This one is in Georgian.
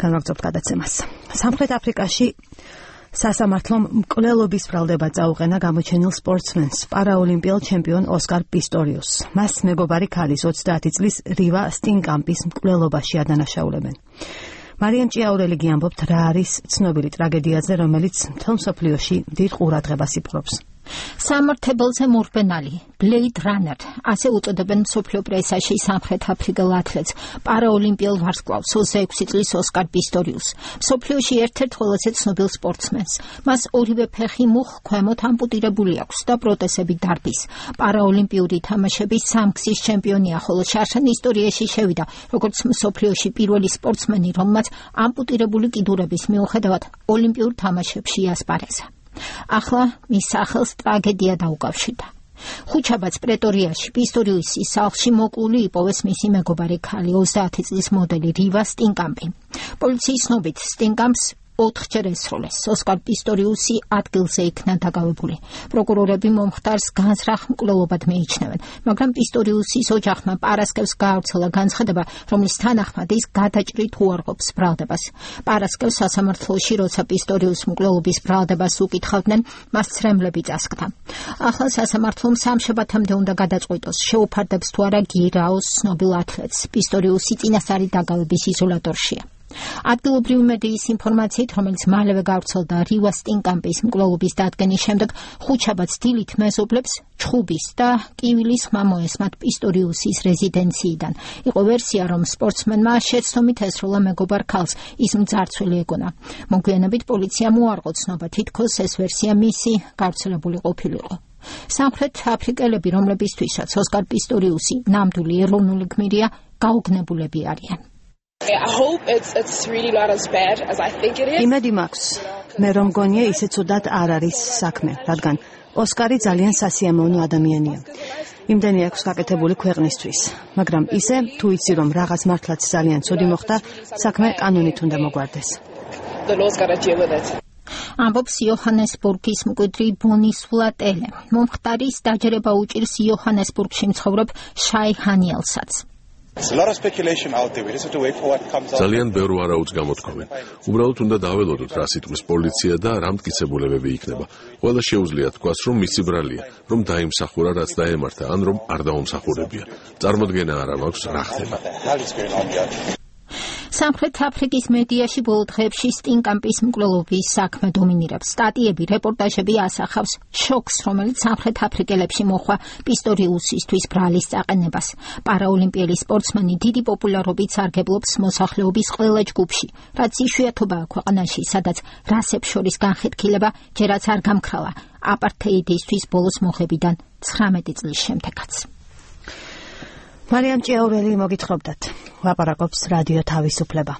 განვაგრძობთ გადაცემას. სამხრეთ აფრიკაში სასამართლომ მკვლელობის ბრალდება წაუყენა გამოჩენილ სპორტსმენს, პარაოლიმპიელ ჩემპიონ ოსკარ პისტორიუსს. მას მეგობარი ქალის 30 წლის რივა სტინკამპის მკვლელობაში ადანაშაულებენ. მარიამ ჭიაურელი გიამბობთ, რა არის ცნობილი ტრაგედიაზე, რომელიც მთელ მსოფლიოში დიდ ყურადღებას იპყრობს. სამართებელზე მორბენალი, ბლეიდ რანერ, ასე უწოდებენ მსოფლიო პრესაში სამხრეთ აფრიკელ ათლეტს, პარაოლიმპიელ ვარსკვლავს 26 წლის ოსკარ პისტორიუსს, მსოფლიოში ერთ-ერთ ყველაზე ცნობილ სპორტსმენს. მას ორივე ფეხი მუხ ქვემოთ ამპუტირებული აქვს და პროტეზები დარბის. პარაოლიმპიური თამაშების სამგზის ჩემპიონია, ხოლო შარშან ისტორიაში შევიდა, როგორც მსოფლიოში პირველი სპორტსმენი, რომელმაც ამპუტირებული კიდურების მიუხედავად ოლიმპიურ თამაშებში იასპარეზა. ახლა მის სახელს ტრაგედია დაუკავშირდა. ხუთშაბათს პრეტორიაში პისტორიუსის სახლში მოკლული იპოვეს მისი მეგობარი ქალი 30 წლის მოდელი რივა სტინკამპი. პოლიციის ცნობით სტინკამპს 4-ჯერ ესროლეს. ოსკარ პისტორიუსი ადგილზე იქნა დაკავებული. პროკურორები მომხდარს განზრახ მკვლელობად მიიჩნევენ, მაგრამ პისტორიუსის ოჯახმა პარასკევს გაავრცელა განცხადება, რომლის თანახმად ის გადაჭრით უარყოფს ბრალდებას. პარასკევს სასამართლოში, როცა პისტორიუსს მკვლელობის ბრალდებას უკითხავდნენ, მას ცრემლები წასკდა. ახლა სასამართლომ სამშაბათამდე უნდა გადაწყვიტოს, შეუფარდებს თუ არა გირაოს ცნობილ ათლეტს. პისტორიუსი წინასწარი დაკავების იზოლატორშია. ადგილობრივი მედიის ინფორმაციით, რომელიც მალევე გავრცელდა რივა სტინკამპის მკვლელობის დადგენის შემდეგ, ხუთშაბათს დილით მეზობლებს ჩხუბის და კივილის ხმა მოესმათ პისტორიუსის რეზიდენციიდან. იყო ვერსია, რომ სპორტსმენმა შეცდომით ესროლა მეგობარ ქალს, ის მძარცველი ეგონა. მოგვიანებით პოლიციამ უარყო ცნობა, თითქოს ეს ვერსია მისი გავრცელებული ყოფილიყო. სამხრეთ აფრიკელები, რომლებისთვისაც ოსკარ პისტორიუსი ნამდვილი ეროვნული გმირია, გაუგნებულები არიან. იმედი მაქვს, მე რომ გონია ისე ცუდად არ არის საქმე, რადგან ოსკარი ძალიან სასიამოვნო ადამიანია. იმდენი აქვს გაკეთებული ქვეყნისთვის, მაგრამ ისე თუ იცი რომ რაღაც მართლაც ძალიან ცუდი მოხდა, საქმე კანონით უნდა მოგვარდეს. ამბობს იოჰანესბურგის მკვიდრი ბონის ვლატელე. მომხდარის დაჯერება უჭირს იოჰანესბურგში მცხოვრებ შაი ჰანიელსაც. ძალიან ბევრ ვარაუდს გამოთქვამენ. უბრალოდ უნდა დაველოდოთ, რა სიტყვის პოლიცია და რა მტკიცებულებები იქნება. ყველა შეუძლია თქვას, რომ მისი ბრალია, რომ დაიმსახურა, რაც დაემართა, ან რომ არ დაუმსახურებია. წარმოდგენა არა მაქვს, რა ხდება. სამხრეთ აფრიკის მედიაში ბოლო დღეებში სტინკამპის მკვლელობის საქმე დომინირებს. სტატიები, რეპორტაჟები ასახავს შოკს, რომელიც სამხრეთ აფრიკელებში მოხვა პისტორიუსისთვის ბრალის წაყენებას. პარაოლიმპიელი სპორტსმენი დიდი პოპულარობით სარგებლობს მოსახლეობის ყველა ჯგუფში, რაც იშვიათობაა ქვეყანაში, სადაც რასებს შორის განხეთქილება ჯერაც არ გამქრალა აპართეიდისთვის ბოლოს მოხებიდან 19 წლის შემდეგაც. მარიამ ჭიაურელი მოგითხრობდათ. ლაპარაკობს რადიო თავისუფლება.